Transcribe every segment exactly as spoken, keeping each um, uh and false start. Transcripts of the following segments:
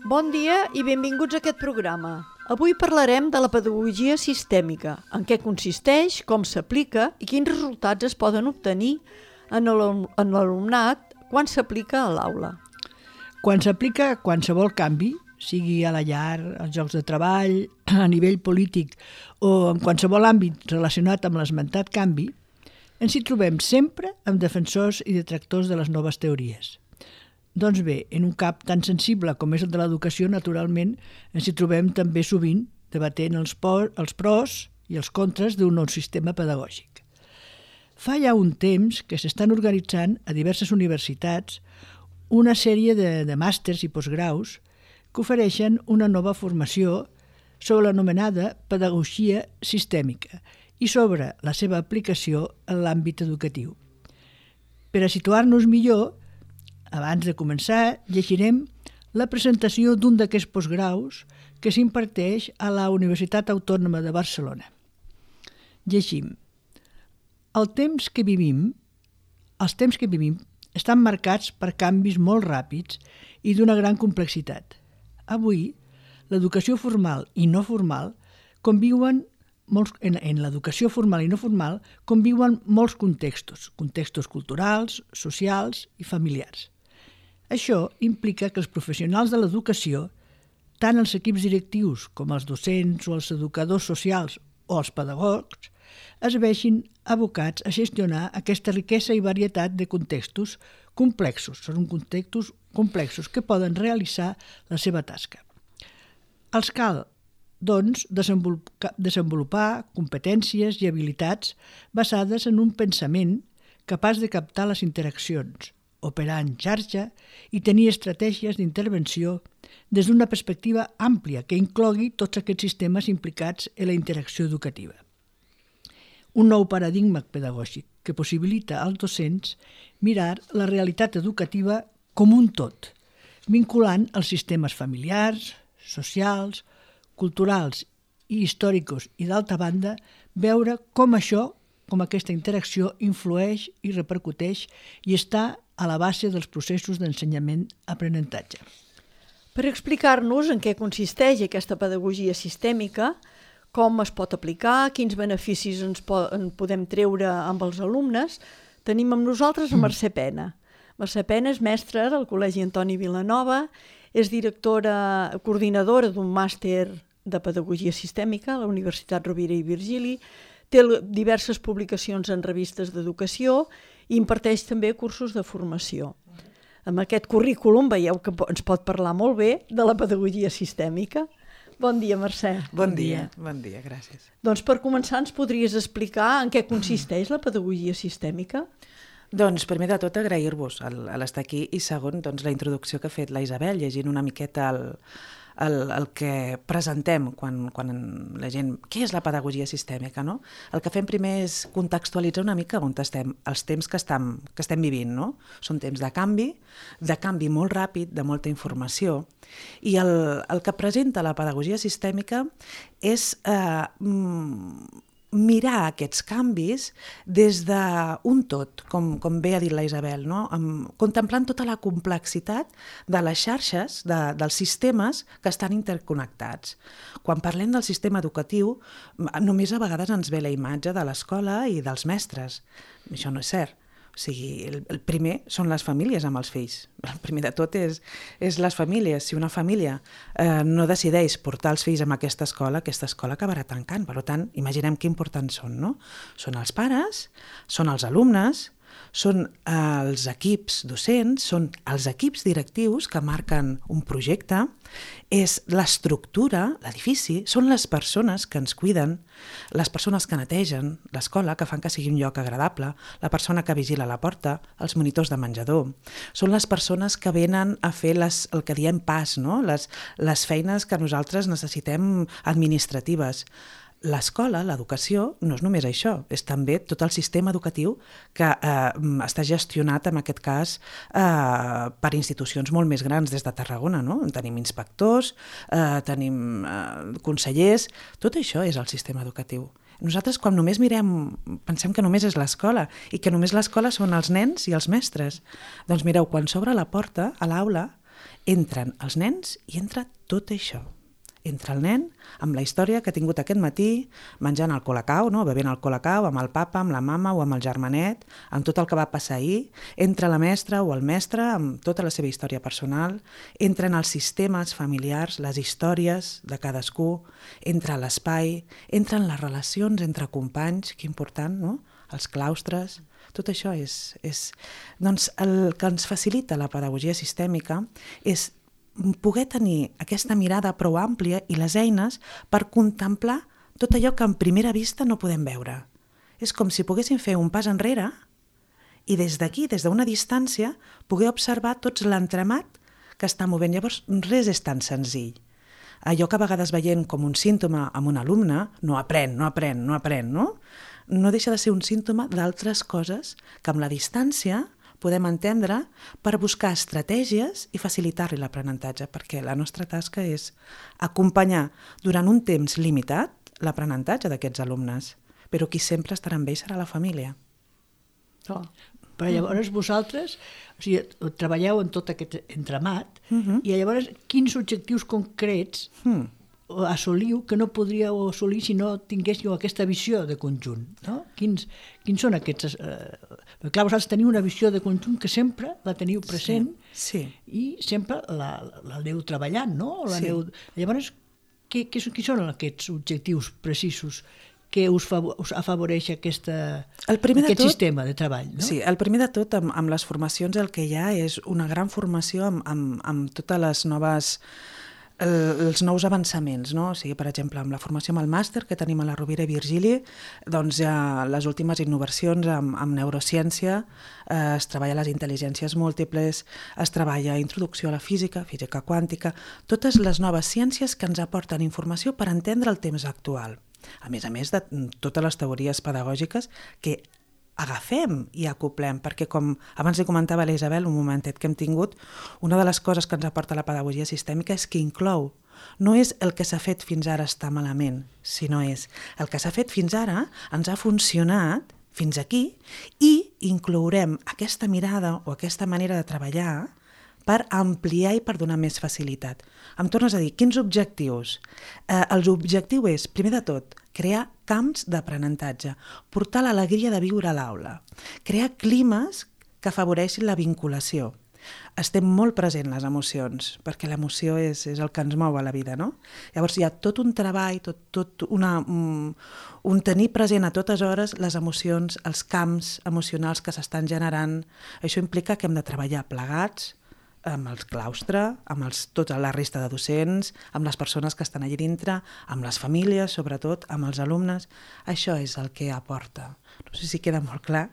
Bon dia i benvinguts a aquest programa. Avui parlarem de la pedagogia sistèmica, en què consisteix, com s'aplica i quins resultats es poden obtenir en l'alumnat quan s'aplica a l'aula. Quan s'aplica qualsevol canvi, sigui a la llar, als llocs de treball, a nivell polític o en qualsevol àmbit relacionat amb l'esmentat canvi, ens hi trobem sempre amb defensors i detractors de les noves teories. Doncs bé, en un camp tan sensible com és el de l'educació, naturalment, ens hi trobem també sovint debatent els, por, els pros i els contres d'un nou sistema pedagògic. Fa ja un temps que s'estan organitzant a diverses universitats una sèrie de, de màsters i postgraus que ofereixen una nova formació sobre l'anomenada pedagogia sistèmica i sobre la seva aplicació en l'àmbit educatiu. Per a situar-nos millor, abans de començar, llegirem la presentació d'un d'aquests postgraus que s'imparteix a la Universitat Autònoma de Barcelona. Llegim. El temps que vivim, els temps que vivim estan marcats per canvis molt ràpids i d'una gran complexitat. Avui, l'educació formal i no formal conviuen molts, en, en l'educació formal i no formal conviuen molts contextos, contextos culturals, socials i familiars. Això implica que els professionals de l'educació, tant els equips directius com els docents o els educadors socials o els pedagogs, es vegin abocats a gestionar aquesta riquesa i varietat de contextos complexos. Són contextos complexos que poden realitzar la seva tasca. Els cal, doncs, desenvolupar competències i habilitats basades en un pensament capaç de captar les interaccions, operar en xarxa i tenir estratègies d'intervenció des d'una perspectiva àmplia que inclogui tots aquests sistemes implicats en la interacció educativa. Un nou paradigma pedagògic que possibilita als docents mirar la realitat educativa com un tot, vinculant els sistemes familiars, socials, culturals i històrics i, d'altra banda, veure com això, com aquesta interacció influeix i repercuteix i està a la base dels processos d'ensenyament-aprenentatge. Per explicar-nos en què consisteix aquesta pedagogia sistèmica, com es pot aplicar, quins beneficis ens po- en podem treure amb els alumnes, tenim amb nosaltres a Mercè Pena. Mercè Pena és mestra del Col·legi Antoni Vilanova, és directora, coordinadora d'un màster de pedagogia sistèmica a la Universitat Rovira i Virgili, té diverses publicacions en revistes d'educació i imparteix també cursos de formació. Amb aquest currículum veieu que ens pot parlar molt bé de la pedagogia sistèmica. Bon dia, Mercè. Bon dia, bon dia, gràcies. Doncs per començar ens podries explicar en què consisteix la pedagogia sistèmica? Doncs primer de tot agrair-vos l'estar aquí i segon doncs, la introducció que ha fet la Isabel, llegint una miqueta el, el, el que presentem quan, quan la gent... Què és la pedagogia sistèmica, no? El que fem primer és contextualitzar una mica on estem, els temps que estem, que estem vivint, no? Són temps de canvi, de canvi molt ràpid, de molta informació, i el, el que presenta la pedagogia sistèmica és eh, mirar aquests canvis des d'un tot, com, com bé ha dit la Isabel, no? Amb, contemplant tota la complexitat de les xarxes, de, dels sistemes que estan interconnectats. Quan parlem del sistema educatiu, només a vegades ens ve la imatge de l'escola i dels mestres. Això no és cert. O sigui, el, el primer són les famílies amb els fills. El primer de tot és, és les famílies. Si una família eh, no decideix portar els fills a aquesta escola, aquesta escola acabarà tancant. Per tant, imaginem que importants són, no? Són els pares, són els alumnes, són els equips docents, són els equips directius que marquen un projecte, és l'estructura, l'edifici, són les persones que ens cuiden, les persones que netegen l'escola, que fan que sigui un lloc agradable, la persona que vigila la porta, els monitors de menjador, són les persones que venen a fer les, el que diem pas, no? les, les feines que nosaltres necessitem administratives. l'escola, l'educació, no és només això, és també tot el sistema educatiu que eh, està gestionat, en aquest cas, eh, per institucions molt més grans des de Tarragona, no? Tenim inspectors, eh, tenim eh, consellers, tot això és el sistema educatiu. Nosaltres, quan només mirem, pensem que només és l'escola i que només l'escola són els nens i els mestres. Doncs mireu, quan s'obre la porta a l'aula, entren els nens i entra tot això. Entra el nen amb la història que ha tingut aquest matí, menjant el colacao, no? Bevent el colacao amb el papa, amb la mama o amb el germanet, amb tot el que va passar ahir. Entra la mestra o el mestre amb tota la seva història personal. Entren els sistemes familiars, les històries de cadascú. Entra l'espai, entren les relacions entre companys, que important, no? Els claustres. Tot això és, és... Doncs el que ens facilita la pedagogia sistèmica és poder tenir aquesta mirada prou àmplia i les eines per contemplar tot allò que en primera vista no podem veure. És com si poguéssim fer un pas enrere i des d'aquí, des d'una distància, poder observar tots l'entramat que està movent. Llavors, res és tan senzill. Allò que a vegades veiem com un símptoma amb un alumne, no aprèn, no aprèn, no aprèn, no? No deixa de ser un símptoma d'altres coses que amb la distància podem entendre per buscar estratègies i facilitar-li l'aprenentatge, perquè la nostra tasca és acompanyar durant un temps limitat l'aprenentatge d'aquests alumnes, però qui sempre estarà amb ells serà la família. Oh. Però llavors vosaltres, o sigui, treballeu en tot aquest entramat, uh-huh. i llavors quins objectius concrets uh-huh. assoliu que no podríeu assolir si no tinguéssiu aquesta visió de conjunt, no? Quins, quins són aquests... Eh, perquè clar, vosaltres teniu una visió de conjunt que sempre la teniu present, sí, sí. i sempre la, la aneu treballant, no? La Sí. aneu... Llavors, què, què, què són aquests objectius precisos que us, favor, us afavoreix aquesta, el primer aquest de tot, sistema de treball, no? Sí, el primer de tot, amb, amb les formacions el que hi ha és una gran formació amb, amb, amb totes les noves... els nous avançaments, no? O sigui, per exemple, amb la formació amb el màster que tenim a la Rovira i Virgili, doncs hi ha les últimes innovacions amb, amb neurociència, eh, es treballa les intel·ligències múltiples, es treballa introducció a la física, física quàntica, totes les noves ciències que ens aporten informació per entendre el temps actual. A més a més de totes les teories pedagògiques que agafem i acoplem, perquè com abans li comentava a la Isabel, un momentet que hem tingut, una de les coses que ens aporta la pedagogia sistèmica és que inclou. No és el que s'ha fet fins ara està malament, sinó és el que s'ha fet fins ara ens ha funcionat fins aquí i inclourem aquesta mirada o aquesta manera de treballar per ampliar i per donar més facilitat. Em tornes a dir, quins objectius? Eh, L'objectiu és, primer de tot, crear camps d'aprenentatge, portar l'alegria de viure a l'aula, crear climes que afavoreixin la vinculació. Estem molt presents les emocions, perquè l'emoció és, és el que ens mou a la vida, no? Llavors hi ha tot un treball, tot, tot una, un, un tenir present a totes hores les emocions, els camps emocionals que s'estan generant. Això implica que hem de treballar plegats, amb el claustre, amb els, tota la resta de docents, amb les persones que estan allà dintre, amb les famílies, sobretot, amb els alumnes. Això és el que aporta. No sé si queda molt clar.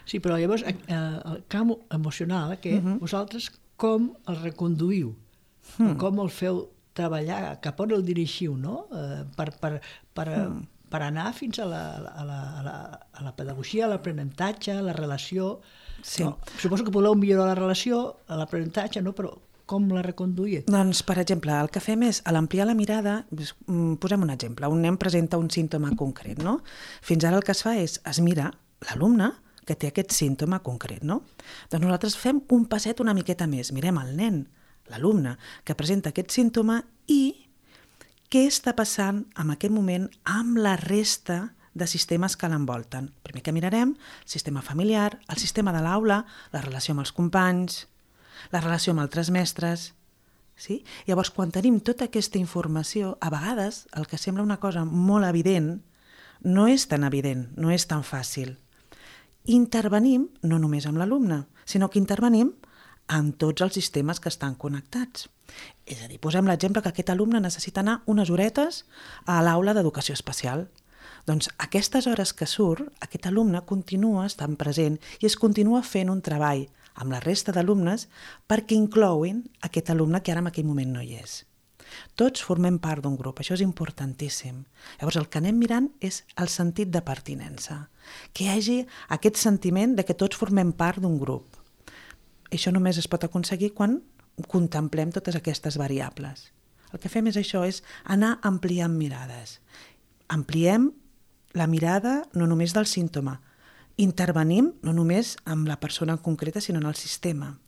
Sí, però llavors eh, el camp emocional aquest, uh-huh. vosaltres com el reconduïu? Uh-huh. Com el feu treballar? Cap on el dirigiu, no? Eh, per, per, per, uh-huh. per anar fins a la, a la, a la, a la pedagogia, a l'aprenentatge, a la relació... Sí. No, suposo que voleu millorar la relació, l'aprenentatge, no? Però com la reconduïa? Doncs, per exemple, el que fem és, a l'ampliar la mirada, posem un exemple, un nen presenta un símptoma concret, no? Fins ara el que es fa és, es mira l'alumne que té aquest símptoma concret, no? Doncs nosaltres fem un passet una miqueta més, mirem el nen, l'alumne, que presenta aquest símptoma i què està passant en aquest moment amb la resta de sistemes que l'envolten. Primer que mirarem, sistema familiar, el sistema de l'aula, la relació amb els companys, la relació amb altres mestres. Sí? Llavors, quan tenim tota aquesta informació, a vegades el que sembla una cosa molt evident no és tan evident, no és tan fàcil. Intervenim no només amb l'alumne, sinó que intervenim amb tots els sistemes que estan connectats. És a dir, posem l'exemple que aquest alumne necessita anar unes horetes a l'aula d'educació especial. Doncs aquestes hores que surt, aquest alumne continua estant present i es continua fent un treball amb la resta d'alumnes perquè inclouen aquest alumne que ara en aquell moment no hi és. Tots formem part d'un grup, això és importantíssim. Llavors el que anem mirant és el sentit de pertinença, que hi hagi aquest sentiment de que tots formem part d'un grup. Això només es pot aconseguir quan contemplem totes aquestes variables. El que fem és això, és anar ampliant mirades. Ampliem la mirada no només del símptoma, intervenim no només amb la persona en concreta, sinó en el sistema.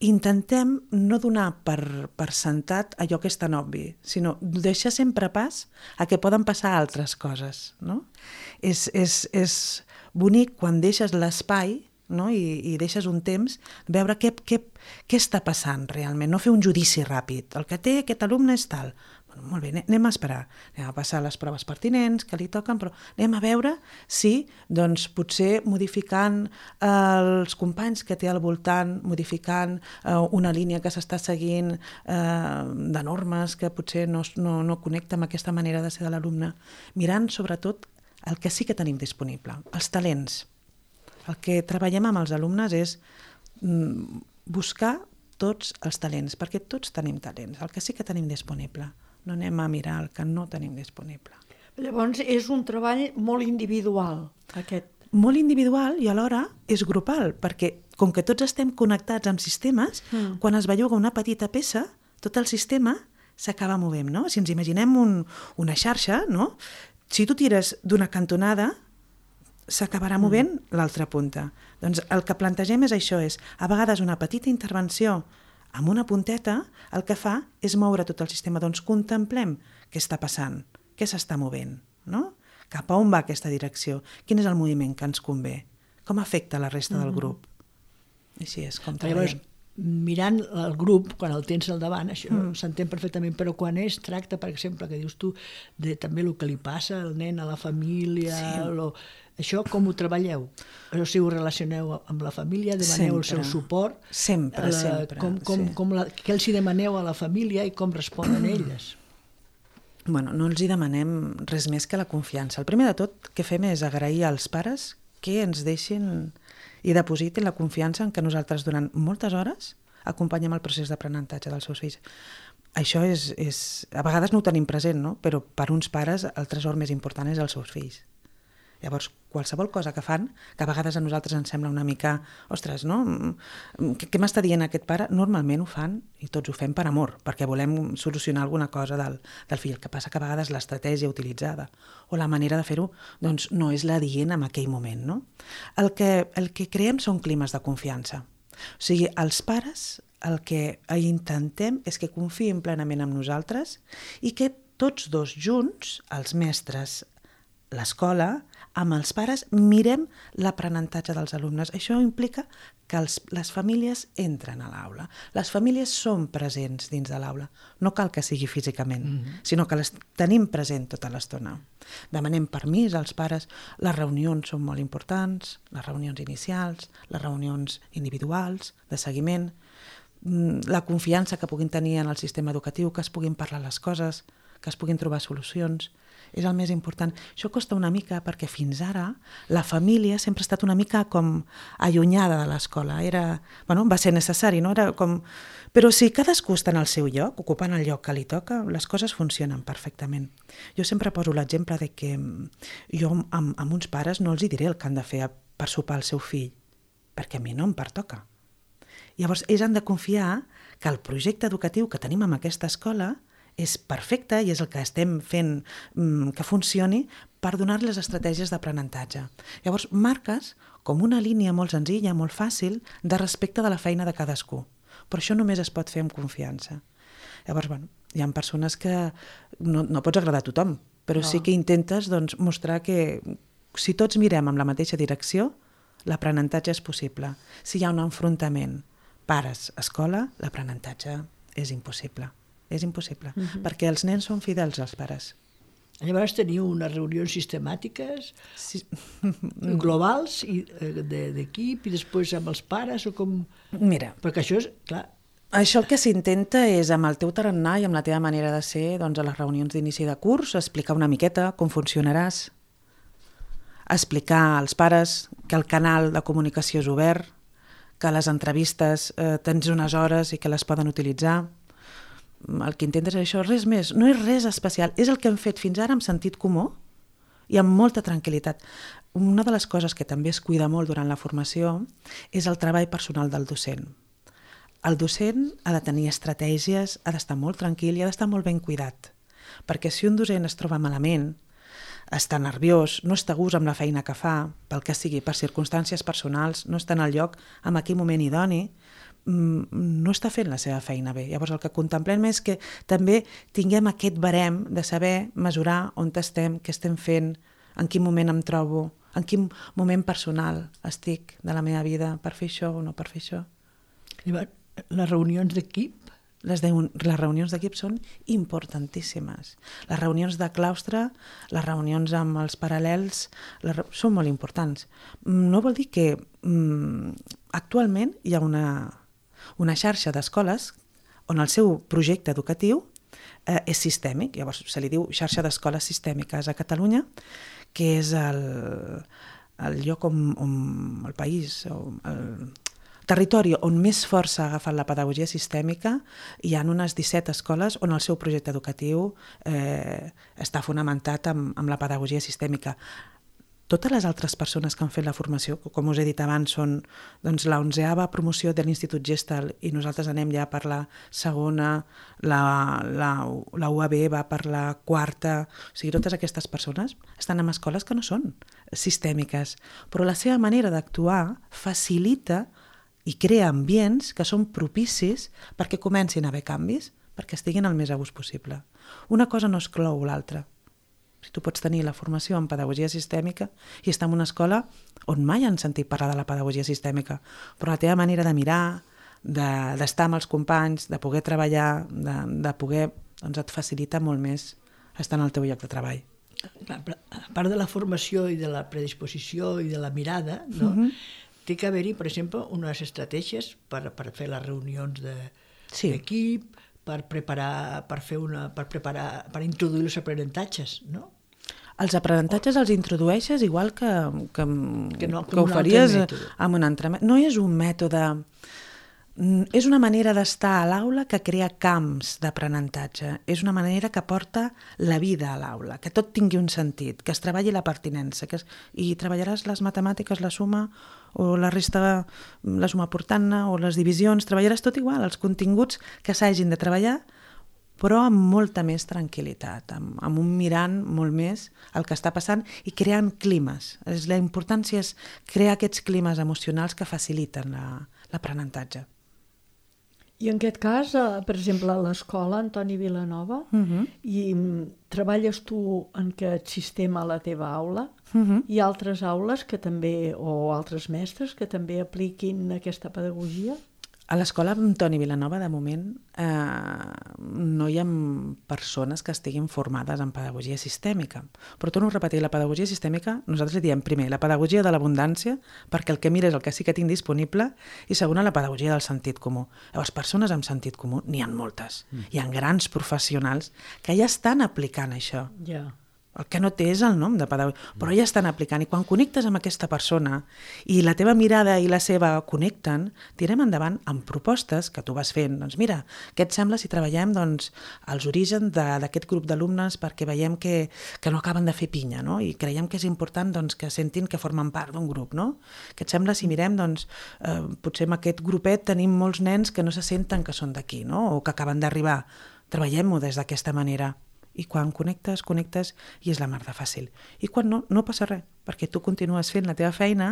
Intentem no donar per, per sentat allò que és tan obvi, sinó deixar sempre pas a que poden passar altres coses. No? És, és, és bonic quan deixes l'espai, no? I, i deixes un temps, veure què, què, què està passant realment, no fer un judici ràpid. El que té aquest alumne és tal. Bueno, molt bé, anem a esperar, anem a passar les proves pertinents que li toquen, però anem a veure si, doncs, potser modificant eh, els companys que té al voltant, modificant eh, una línia que s'està seguint eh, de normes que potser no, no, no connecta amb aquesta manera de ser de l'alumne, mirant sobretot el que sí que tenim disponible, els talents. El que treballem amb els alumnes és mm, buscar tots els talents, perquè tots tenim talents, el que sí que tenim disponible. No anem a mirar el que no tenim disponible. Llavors és un treball molt individual, aquest. Molt individual i alhora és grupal, perquè com que tots estem connectats amb sistemes, mm. quan es belluga una petita peça, tot el sistema s'acaba movent, no? Si ens imaginem un, una xarxa, no? Si tu tires d'una cantonada, s'acabarà movent mm. l'altra punta. Doncs el que plantegem és això, és a vegades una petita intervenció amb una punteta, el que fa és moure tot el sistema. Doncs contemplem què està passant, què s'està movent, no? Cap a on va aquesta direcció? Quin és el moviment que ens convé? Com afecta la resta mm-hmm. del grup? Així és com treballem. Mirant el grup, quan el tens al davant, això mm. s'entén perfectament, però quan es tracta, per exemple, que dius tu, de també el que li passa al nen, a la família, sí. lo, això com ho treballeu? O sigui, ho relacioneu amb la família, demaneu sempre. El seu suport? Sempre, la, sempre. Com, com, sí. com la, què els hi demaneu a la família i com responen elles? Bueno, no els hi demanem res més que la confiança. El primer de tot que fem és agrair als pares que ens deixin i depositin la confiança en què nosaltres durant moltes hores acompanyem el procés d'aprenentatge dels seus fills. Això és, és... A vegades no ho tenim present, no? Però per uns pares el tresor més important és els seus fills. Llavors, qualsevol cosa que fan, que a vegades a nosaltres ens sembla una mica, ostres, no? Què, què m'està dient aquest pare? Normalment ho fan, i tots ho fem per amor, perquè volem solucionar alguna cosa del, del fill. El que passa que a vegades l'estratègia utilitzada o la manera de fer-ho doncs no és la dient en aquell moment, no? El que, el que creem són climes de confiança. O sigui, els pares el que intentem és que confiïn plenament en nosaltres i que tots dos junts, els mestres, l'escola, amb els pares, mirem l'aprenentatge dels alumnes. Això implica que els, les famílies entren a l'aula. Les famílies són presents dins de l'aula. No cal que sigui físicament, mm-hmm. sinó que les tenim present tota l'estona. Demanem permís als pares. Les reunions són molt importants, les reunions inicials, les reunions individuals, de seguiment, la confiança que puguin tenir en el sistema educatiu, que es puguin parlar les coses, que es puguin trobar solucions. És el més important. Això costa una mica perquè fins ara la família sempre ha estat una mica com allunyada de l'escola. Era, bueno, va ser necessari, no? Era com... Però si cadascú està en el seu lloc, ocupant el lloc que li toca, les coses funcionen perfectament. Jo sempre poso l'exemple de que jo amb, amb uns pares no els hi diré el que han de fer per sopar el seu fill, perquè a mi no em pertoca. Llavors, ells han de confiar que el projecte educatiu que tenim en aquesta escola és perfecte i és el que estem fent mm, que funcioni per donar les estratègies d'aprenentatge. Llavors, marques com una línia molt senzilla, molt fàcil, de respecte de la feina de cadascú. Però això només es pot fer amb confiança. Llavors, bueno, hi ha persones que no, no pots agradar a tothom, però no. sí que intentes doncs, mostrar que si tots mirem en la mateixa direcció, l'aprenentatge és possible. Si hi ha un enfrontament pares-escola, l'aprenentatge és impossible. És impossible, uh-huh. perquè els nens són fidels als pares. Llavors teniu unes reunions sistemàtiques, sí. globals, i, de, d'equip, i després amb els pares, o com... Mira, perquè això és, clar... Això el que s'intenta és, amb el teu tarannà i amb la teva manera de ser, doncs a les reunions d'inici de curs, explicar una miqueta com funcionaràs, explicar als pares que el canal de comunicació és obert, que les entrevistes eh, tens unes hores i que les poden utilitzar, el que intentes és això, res més, no és res especial, és el que hem fet fins ara amb sentit comú i amb molta tranquil·litat. Una de les coses que també es cuida molt durant la formació és el treball personal del docent. El docent ha de tenir estratègies, ha d'estar molt tranquil i ha d'estar molt ben cuidat, perquè si un docent es troba malament, està nerviós, no està a gust amb la feina que fa, pel que sigui, per circumstàncies personals, no està en el lloc en aquell moment idoni, no està fent la seva feina bé. Llavors el que contemplem és que també tinguem aquest barem de saber mesurar on estem, què estem fent, en quin moment em trobo, en quin moment personal estic de la meva vida per fer això o no per fer això. Les reunions d'equip? Les, de, les reunions d'equip són importantíssimes. Les reunions de claustre, les reunions amb els paral·lels, les, són molt importants. No vol dir que mm, actualment hi ha una, una xarxa d'escoles on el seu projecte educatiu eh, és sistèmic, llavors se li diu xarxa d'escoles sistèmiques a Catalunya, que és el, el lloc on, on el país, on el territori on més força ha agafat la pedagogia sistèmica. Hi ha unes disset escoles on el seu projecte educatiu eh, està fonamentat amb, amb la pedagogia sistèmica. Totes les altres persones que han fet la formació, com us he dit abans, són doncs, la onzeava promoció de l'Institut Gestal i nosaltres anem ja per la segona, la, la, la U A B va per la quarta, o sigui, totes aquestes persones estan en escoles que no són sistèmiques, però la seva manera d'actuar facilita i crea ambients que són propicis perquè comencin a haver canvis, perquè estiguin el més a gust possible. Una cosa no exclou l'altra. Si tu pots tenir la formació en pedagogia sistèmica i estar en una escola on mai han sentit parlar de la pedagogia sistèmica, però la teva manera de mirar, d'estar de, amb els companys, de poder treballar, de, de poder, doncs et facilita molt més estar en el teu lloc de treball. A part de la formació i de la predisposició i de la mirada, no? Uh-huh. Té que haver-hi, per exemple, unes estratègies per, per fer les reunions d'equip, de, sí. per preparar, per fer una, per preparar, per introduir els aprenentatges, no? Els aprenentatges els introdueixes igual que, que, que, no, que ho faries amb un altre mètode. No és un mètode, és una manera d'estar a l'aula que crea camps d'aprenentatge, és una manera que porta la vida a l'aula, que tot tingui un sentit, que es treballi la pertinença, que es, i treballaràs les matemàtiques, la suma o la resta, la suma portant-ne o les divisions, treballaràs tot igual, els continguts que s'hagin de treballar, però amb molta més tranquil·litat, amb, amb un mirant molt més el que està passant i creant climes. La importància és crear aquests climes emocionals que faciliten l'aprenentatge. I en aquest cas, per exemple, a l'escola Antoni Vilanova, uh-huh. i treballes tu en aquest sistema a la teva aula, uh-huh. i altres aules que també, o altres mestres que també apliquin aquesta pedagogia? A l'escola Antoni Vilanova, de moment, eh, no hi ha persones que estiguin formades en pedagogia sistèmica. Però torno a repetir, la pedagogia sistèmica, nosaltres li diem primer la pedagogia de l'abundància, perquè el que mira és el que sí que tinc disponible, i segona, la pedagogia del sentit comú. Llavors, persones amb sentit comú n'hi ha moltes. Mm. Hi ha grans professionals que ja estan aplicant això. Ja. Yeah. El que no té és el nom de pedagogia, però ja estan aplicant. I quan connectes amb aquesta persona i la teva mirada i la seva connecten, tirem endavant amb propostes que tu vas fent. Doncs mira, què et sembla si treballem doncs, els orígens d'aquest grup d'alumnes perquè veiem que, que no acaben de fer pinya, no? I creiem que és important doncs, que sentin que formen part d'un grup, no? Què et sembla si mirem, doncs, eh, potser en aquest grupet tenim molts nens que no se senten que són d'aquí, no? O que acaben d'arribar. Treballem-ho des d'aquesta manera. I quan connectes, connectes i és la mar de fàcil. I quan no, no passa res, perquè tu continues fent la teva feina,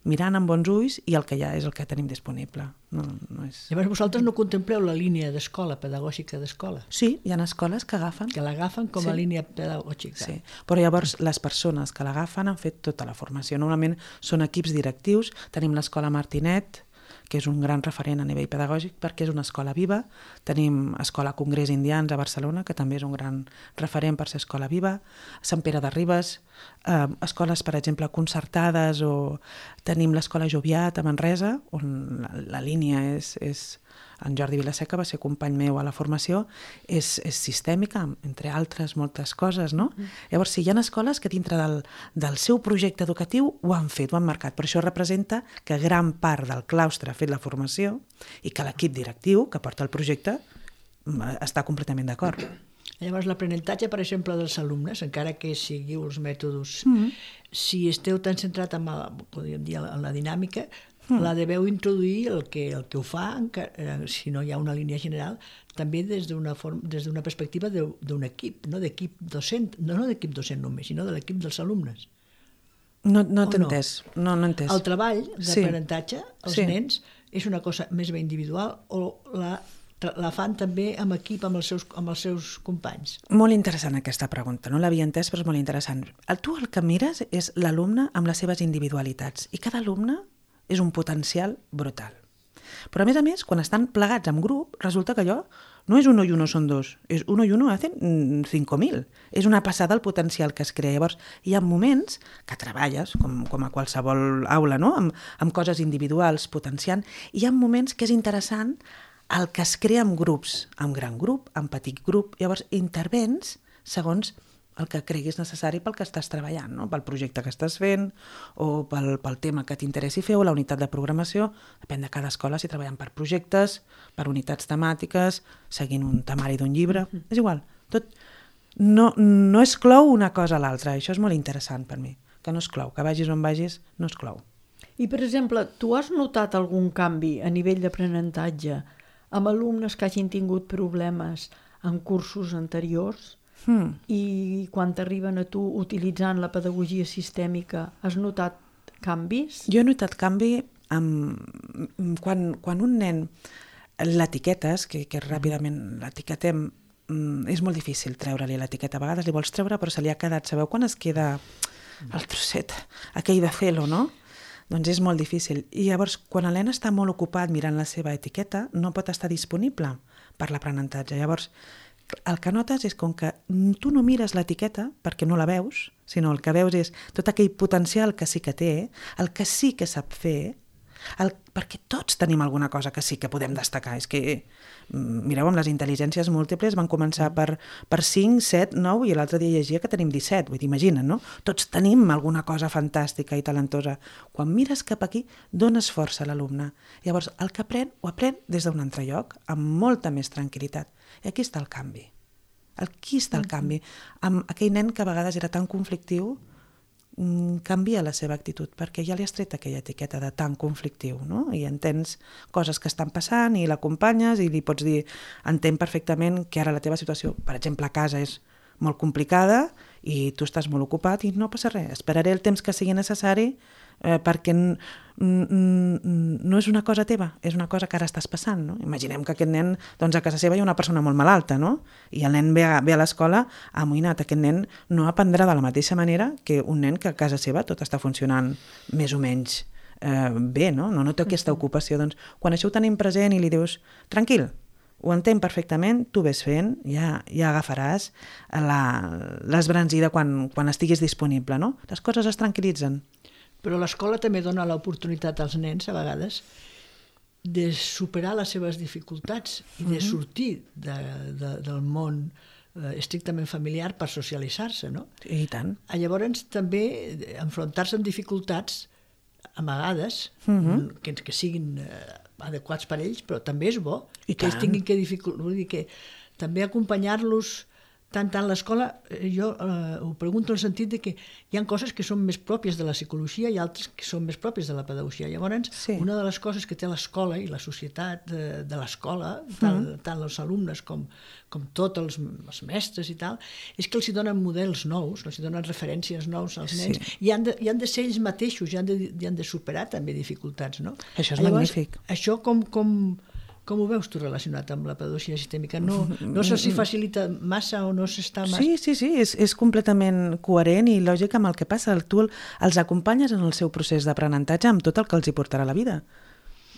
mirant amb bons ulls i el que hi ha és el que tenim disponible. No, no és... Llavors vosaltres no contempleu la línia d'escola, pedagògica d'escola? Sí, hi ha escoles que agafen. Que l'agafen com a sí. línia pedagògica. Sí, però llavors les persones que l'agafen han fet tota la formació. Normalment són equips directius, tenim l'escola Martinet, que és un gran referent a nivell pedagògic perquè és una escola viva. Tenim Escola Congrés Indians a Barcelona, que també és un gran referent per ser escola viva. Sant Pere de Ribes, eh, escoles, per exemple, concertades, o tenim l'Escola Joviat a Manresa, on la, la línia és... és en Jordi Vilaseca va ser company meu a la formació, és, és sistèmica, entre altres moltes coses, no? Mm. Llavors, sí, hi ha escoles que dintre del, del seu projecte educatiu ho han fet, ho han marcat, però això representa que gran part del claustre ha fet la formació i que l'equip directiu que porta el projecte està completament d'acord. Llavors, l'aprenentatge, per exemple, dels alumnes, encara que seguiu els mètodes, mm -hmm. si esteu tan centrat en, el, podríem dir, en la dinàmica, mm. la deveu introduir el que, el que ho fa, encara, eh, si no hi ha una línia general, també des d'una forma, des d'una perspectiva d'un equip, no d'equip docent, no, no d'equip docent només, sinó de l'equip dels alumnes. No, no t'he entès. No, no entès. El treball d'aprenentatge, sí. els sí. nens, és una cosa més bé individual o la, la fan també amb equip amb els, seus, amb els seus companys? Molt interessant aquesta pregunta, no l'havia entès, però és molt interessant. El, tu el que mires és l'alumne amb les seves individualitats i cada alumne és un potencial brutal. Però a més a més, quan estan plegats en grup, resulta que allò no és uno i uno són dos, és uno i uno hacen cinco mil. És una passada el potencial que es crea. Llavors, hi ha moments que treballes, com, com a qualsevol aula, no? amb, amb coses individuals, potenciant, i hi ha moments que és interessant el que es crea en grups, en gran grup, en petit grup. Llavors, intervens segons el que creguis necessari pel que estàs treballant, no? Pel projecte que estàs fent o pel, pel tema que t'interessi fer o la unitat de programació. Depèn de cada escola si treballen per projectes, per unitats temàtiques, seguint un temari d'un llibre. Mm. És igual. Tot no, no exclou una cosa a l'altra. Això és molt interessant per mi, que no exclou. Que vagis on vagis, no exclou. I, per exemple, tu has notat algun canvi a nivell d'aprenentatge amb alumnes que hagin tingut problemes en cursos anteriors? Hmm. I quan t'arriben a tu utilitzant la pedagogia sistèmica, has notat canvis? Jo he notat canvi amb... quan, quan un nen l'etiquetes, que, que ràpidament l'etiquetem, és molt difícil treure-li l'etiqueta. A vegades li vols treure però se li ha quedat. Sabeu quan es queda el trosset aquell de celo, no? Doncs és molt difícil. I llavors, quan el nen està molt ocupat mirant la seva etiqueta, no pot estar disponible per l'aprenentatge. Llavors, el que notes és com que tu no mires l'etiqueta perquè no la veus, sinó el que veus és tot aquell potencial que sí que té, el que sí que sap fer, el, perquè tots tenim alguna cosa que sí que podem destacar. És que, mireu, amb les intel·ligències múltiples van començar per, per cinc, set, nou i l'altre dia llegia que tenim disset, vull dir, imagina't, no? Tots tenim alguna cosa fantàstica i talentosa. Quan mires cap aquí, dones força a l'alumne. Llavors, el que aprèn, ho aprèn des d'un altre lloc, amb molta més tranquil·litat. I aquí està el canvi. Aquí està el canvi. Amb aquell nen que a vegades era tan conflictiu, canvia la seva actitud, perquè ja li has tret aquella etiqueta de tan conflictiu, no? I entens coses que estan passant i l'acompanyes i li pots dir, entenc perfectament que ara la teva situació, per exemple, a casa és molt complicada i tu estàs molt ocupat i no passa res. Esperaré el temps que sigui necessari eh, perquè no és una cosa teva, és una cosa que ara estàs passant, no? Imaginem que aquest nen, doncs a casa seva hi ha una persona molt malalta, no? I el nen ve a, ve a l'escola amoïnat. Aquest nen no aprendrà de la mateixa manera que un nen que a casa seva tot està funcionant més o menys eh, bé, no? No, no té aquesta ocupació. Doncs quan això ho tenim present i li dius, tranquil, ho entenc perfectament, tu ves fent, ja, ja agafaràs l'esbranzida quan, quan estiguis disponible, no? Les coses es tranquil·litzen. Però l'escola també dona l'oportunitat als nens, a vegades, de superar les seves dificultats i de sortir de, de, del món eh, estrictament familiar per socialitzar-se, no? I tant. Llavors, també, enfrontar-se amb dificultats, a vegades, uh-huh. que, que siguin eh, adequats per ells, però també és bo I que ells tinguin que dificultar, vull dir que també acompanyar-los tant tant l'escola, jo eh, ho pregunto en el sentit de que hi ha coses que són més pròpies de la psicologia i altres que són més pròpies de la pedagogia. Llavors, sí. Una de les coses que té l'escola i la societat de, de l'escola, tant, mm. tant els alumnes com, com tots els, els mestres i tal, és que els hi donen models nous, els hi donen referències nous als nens, sí. i, han de, i han de ser ells mateixos, i han de, i han de superar també dificultats, no? Això és Llavors, magnífic. Això com... com Com ho veus tu relacionat amb la pedagogia sistèmica? No, no se'ls facilita massa o no s'està massa? Sí, sí, sí, és, és completament coherent i lògic amb el que passa. Tu els acompanyes en el seu procés d'aprenentatge amb tot el que els hi portarà la vida.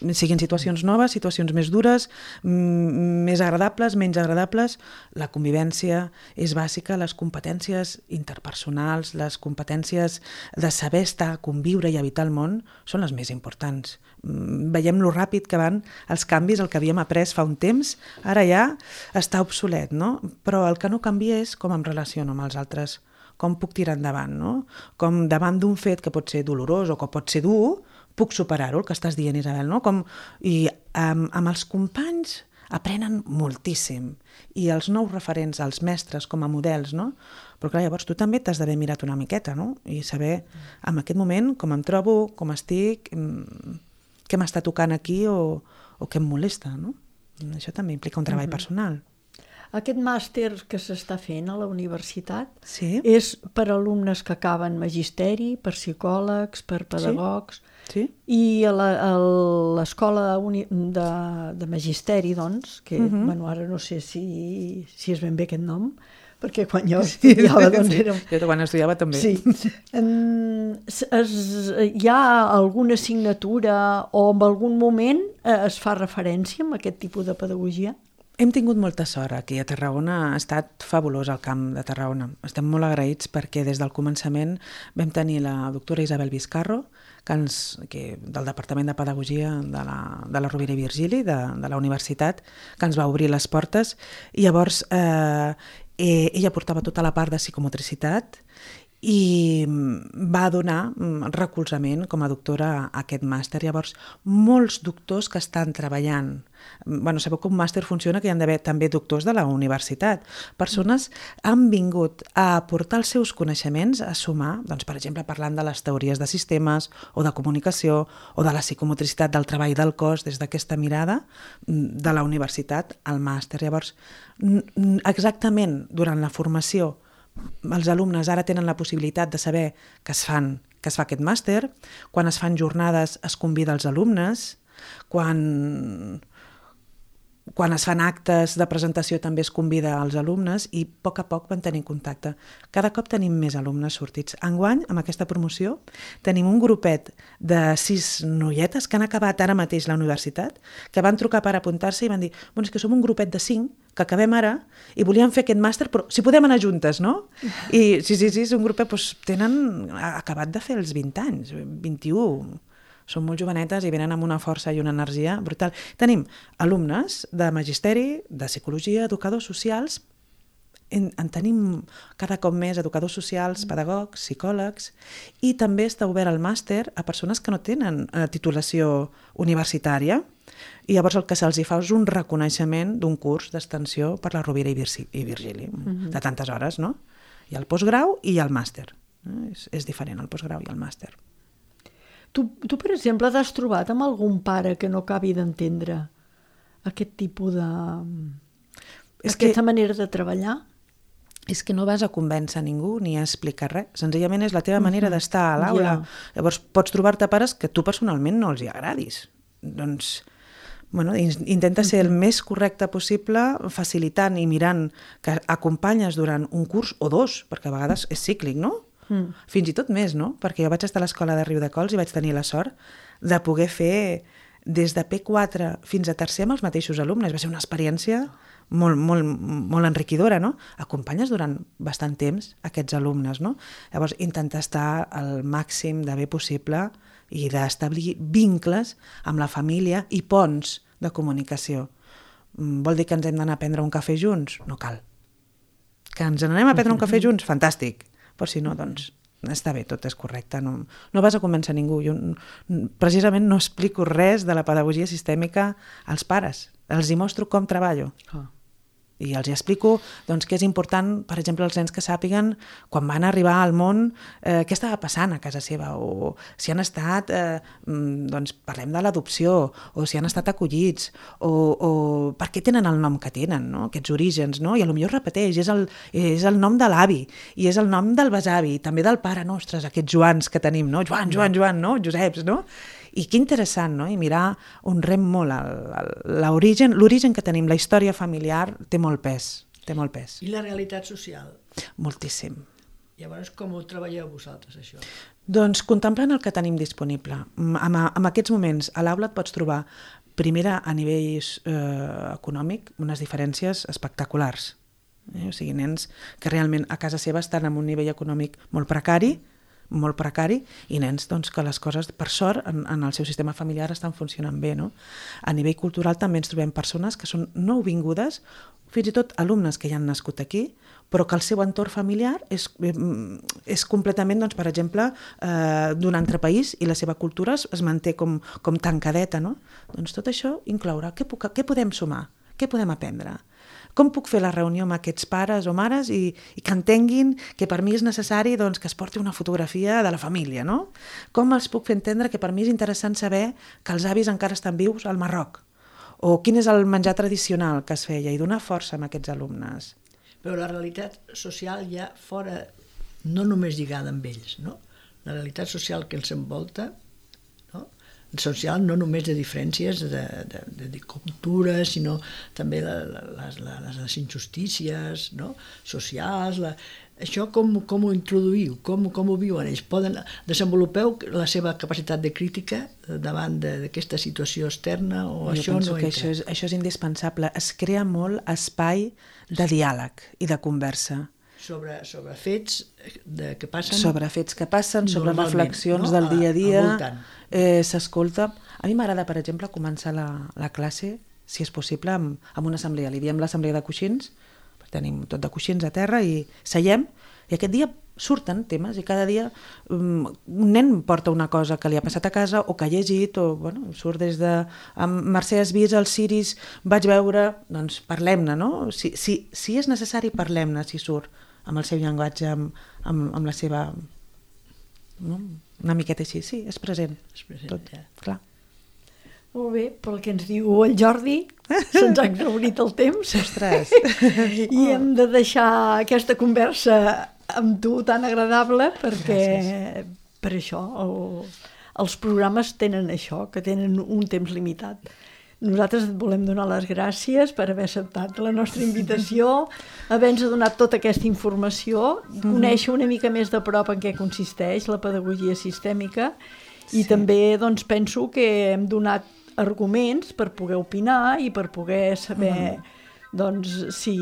Siguin situacions noves, situacions més dures, més agradables, menys agradables. La convivència és bàsica, les competències interpersonals, les competències de saber estar, conviure i habitar el món són les més importants. Veiem lo ràpid que van els canvis, el que havíem après fa un temps, ara ja està obsolet, no? Però el que no canvia és com em relaciono amb els altres, com puc tirar endavant, no? Com davant d'un fet que pot ser dolorós o que pot ser dur, puc superar-ho, el que estàs dient, Isabel, no? Com, i amb, amb els companys aprenen moltíssim. I els nous referents, els mestres com a models, no? Però clar, llavors tu també t'has d'haver mirat una miqueta, no? I saber en aquest moment com em trobo, com estic, què m'està tocant aquí o, o què em molesta, no? Això també implica un treball uh-huh. personal. Aquest màster que s'està fent a la universitat sí. és per alumnes que acaben magisteri, per psicòlegs, per pedagogs, sí. Sí. I a l'escola de, de magisteri, doncs, que uh-huh. bueno, ara no sé si, si és ben bé aquest nom, perquè quan jo estudiava... Sí, doncs era... Jo quan estudiava també. Sí. En, es, hi ha alguna assignatura o en algun moment es fa referència a aquest tipus de pedagogia? Hem tingut molta sort aquí a Tarragona, ha estat fabulós el camp de Tarragona. Estem molt agraïts perquè des del començament vam tenir la doctora Isabel Vizcarro, que ens, que, del Departament de Pedagogia de la, de la Rovira i Virgili, de, de la universitat, que ens va obrir les portes. I llavors eh, ella portava tota la part de psicomotricitat i va donar recolzament com a doctora a aquest màster. Llavors, molts doctors que estan treballant, bueno, sabeu que un màster funciona que hi ha d'haver també doctors de la universitat. Persones han vingut a aportar els seus coneixements, a sumar, doncs, per exemple, parlant de les teories de sistemes o de comunicació o de la psicomotricitat del treball del cos des d'aquesta mirada de la universitat al màster. Llavors, exactament durant la formació els alumnes ara tenen la possibilitat de saber que es, fan, que es fa aquest màster, quan es fan jornades es convida els alumnes, quan, quan es fan actes de presentació també es convida als alumnes i a poc a poc van tenir contacte. Cada cop tenim més alumnes sortits. Enguany, amb aquesta promoció, tenim un grupet de sis noietes que han acabat ara mateix la universitat, que van trucar per apuntar-se i van dir, bueno, és que som un grupet de cinc que acabem ara i volíem fer aquest màster, però si podem anar juntes, no? I sí, sí, sí, és un grupet, doncs, tenen acabat de fer els vint anys, vint-i-u, són molt jovenetes i venen amb una força i una energia brutal. Tenim alumnes de magisteri, de psicologia, educadors socials, en, en tenim cada cop més educadors socials, pedagogs, psicòlegs, i també està obert el màster a persones que no tenen eh, titulació universitària. I llavors el que se'ls fa és un reconeixement d'un curs d'extensió per la Rovira i Virgili, mm-hmm. de tantes hores, no? Hi ha el postgrau i hi ha el màster. Eh? És, és diferent el postgrau i el màster. Tu, tu, per exemple, t'has trobat amb algun pare que no acabi d'entendre aquest tipus de... És aquesta que... manera de treballar? És que no vas a convèncer ningú ni a explicar res. Senzillament és la teva manera mm-hmm. d'estar a l'aula. Yeah. Llavors pots trobar-te pares que tu personalment no els hi agradis. Doncs... Bueno, intenta ser el més correcte possible, facilitant i mirant que acompanyes durant un curs o dos, perquè a vegades és cíclic, no? Mm. Fins i tot més, no? Perquè jo vaig estar a l'escola de Riudecols i vaig tenir la sort de poder fer des de P quatre fins a tercer amb els mateixos alumnes. Va ser una experiència molt, molt, molt enriquidora, no? Acompanyes durant bastant temps aquests alumnes, no? Llavors, intentar estar al màxim de bé possible i d'establir vincles amb la família i ponts de comunicació. Vol dir que ens hem d'anar a prendre un cafè junts? No cal. Que ens n'anem a prendre un cafè junts? Fantàstic. Però si no, doncs està bé, tot és correcte. No, no vas a convèncer ningú. Jo precisament no explico res de la pedagogia sistèmica als pares. Els hi mostro com treballo. Oh. I els hi explico doncs, que és important, per exemple, els nens que sàpiguen quan van arribar al món eh, què estava passant a casa seva, o si han estat, eh, doncs parlem de l'adopció, o si han estat acollits, o, o per què tenen el nom que tenen, no? Aquests orígens, no? I potser repeteix, és el, és el nom de l'avi, i és el nom del besavi, també del pare, no? Ostres, aquests Joans que tenim, no? Joan, Joan, Joan, no? Joseps, no? I que interessant, no? I mirar on rem molt l'origen, l'origen que tenim, la història familiar té molt pes, té molt pes. I la realitat social? Moltíssim. Llavors, com ho treballeu vosaltres, això? Doncs contemplant el que tenim disponible. En, en aquests moments, a l'aula et pots trobar, primera, a nivell eh, econòmic, unes diferències espectaculars. Eh? O sigui, nens que realment a casa seva estan en un nivell econòmic molt precari, molt precari, i nens doncs, que les coses, per sort, en, en el seu sistema familiar estan funcionant bé. No? A nivell cultural també ens trobem persones que són nouvingudes, fins i tot alumnes que ja han nascut aquí, però que el seu entorn familiar és, és completament, doncs, per exemple, eh, d'un altre país i la seva cultura es, es manté com, com tancadeta. No? Doncs tot això inclourà què, puc, què podem sumar? què podem aprendre? Com puc fer la reunió amb aquests pares o mares i, i que entenguin que per mi és necessari doncs, que es porti una fotografia de la família, no? Com els puc fer entendre que per mi és interessant saber que els avis encara estan vius al Marroc? O quin és el menjar tradicional que es feia? I donar força a aquests alumnes. Però la realitat social ja fora, no només lligada amb ells, no? La realitat social que els envolta, no? Social no només de diferències de, de, de, de cultura, sinó també la, la, les, les, les injustícies, no? Socials. La... Això com, com ho introduïu? Com, com ho viuen ells? Poden, desenvolupeu la seva capacitat de crítica davant d'aquesta situació externa o jo això penso no que entra? això és, això és indispensable. Es crea molt espai de diàleg i de conversa. Sobre, sobre fets de, que passen... Sobre fets que passen, sobre reflexions, no? Del dia a dia. Eh, S'escolta. A mi m'agrada, per exemple, començar la, la classe, si és possible, amb, amb una assemblea. Li diem l'assemblea de coixins, tenim tot de coixins a terra i seiem, i aquest dia surten temes i cada dia um, un nen porta una cosa que li ha passat a casa o que ha llegit, o bueno, surt des de... Amb Mercè has vist els ciris, vaig veure, doncs parlem-ne, no? Si, si, si és necessari, parlem-ne, si surt amb el seu llenguatge, amb, amb, amb la seva... No? Una miqueta així, sí, és present. És present, tot, ja. Clar. Molt bé, pel que ens diu el Jordi, se'ns ha exhaurit el temps. Ostres! I hem de deixar aquesta conversa amb tu tan agradable perquè Gràcies. Per això el, els programes tenen això, que tenen un temps limitat. Nosaltres et volem donar les gràcies per haver acceptat la nostra invitació, haver-nos donat tota aquesta informació, conèixer una mica més de prop en què consisteix la pedagogia sistèmica i sí. També doncs, penso que hem donat arguments per poder opinar i per poder saber mm. doncs, si,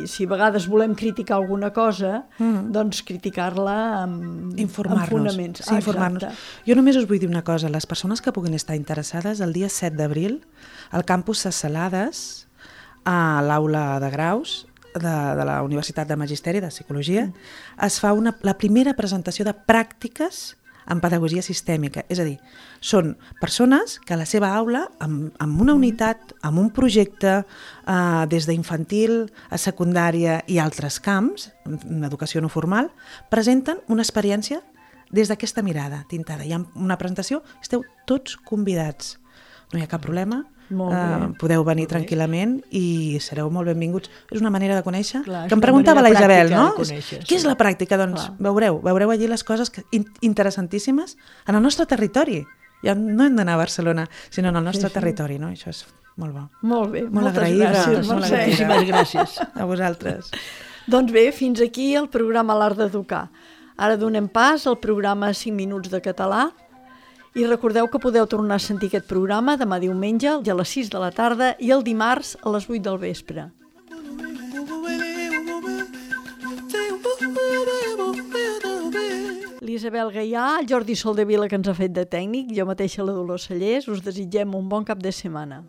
si a vegades volem criticar alguna cosa, mm. doncs criticar-la amb, amb fonaments. Sí, informar-nos. Jo només us vull dir una cosa, les persones que puguin estar interessades, el dia set d'abril, al campus Ses Salades, a l'aula de graus de, de la Universitat de Magisteri de Psicologia, mm. es fa una, la primera presentació de pràctiques en pedagogia sistèmica. És a dir, són persones que a la seva aula, amb, amb una unitat, amb un projecte, eh, des d'infantil a secundària i altres camps, en educació no formal, presenten una experiència des d'aquesta mirada tintada. Hi ha una presentació, esteu tots convidats. No hi ha cap problema. Uh, podeu venir tranquil·lament i sereu molt benvinguts. És una manera de conèixer. Clar, que em preguntava la Isabel, no? Conèixer, Què sí. és la pràctica? Doncs Clar. veureu, veureu allí les coses que, in, interessantíssimes en el nostre territori. Ja no hem d'anar a Barcelona, sinó en el nostre sí, sí. territori, no? Això és molt bo. Molt bé, molt moltes agraïda, gràcies. Molt Moltíssimes gràcies. A vosaltres. Doncs bé, fins aquí el programa L'Art d'Educar. Ara donem pas al programa cinc minuts de català. I recordeu que podeu tornar a sentir aquest programa demà diumenge a les sis de la tarda i el dimarts a les vuit del vespre. L'Isabel Gaià, el Jordi Soldevila, que ens ha fet de tècnic, jo mateixa la Dolors Cellers, us desitgem un bon cap de setmana.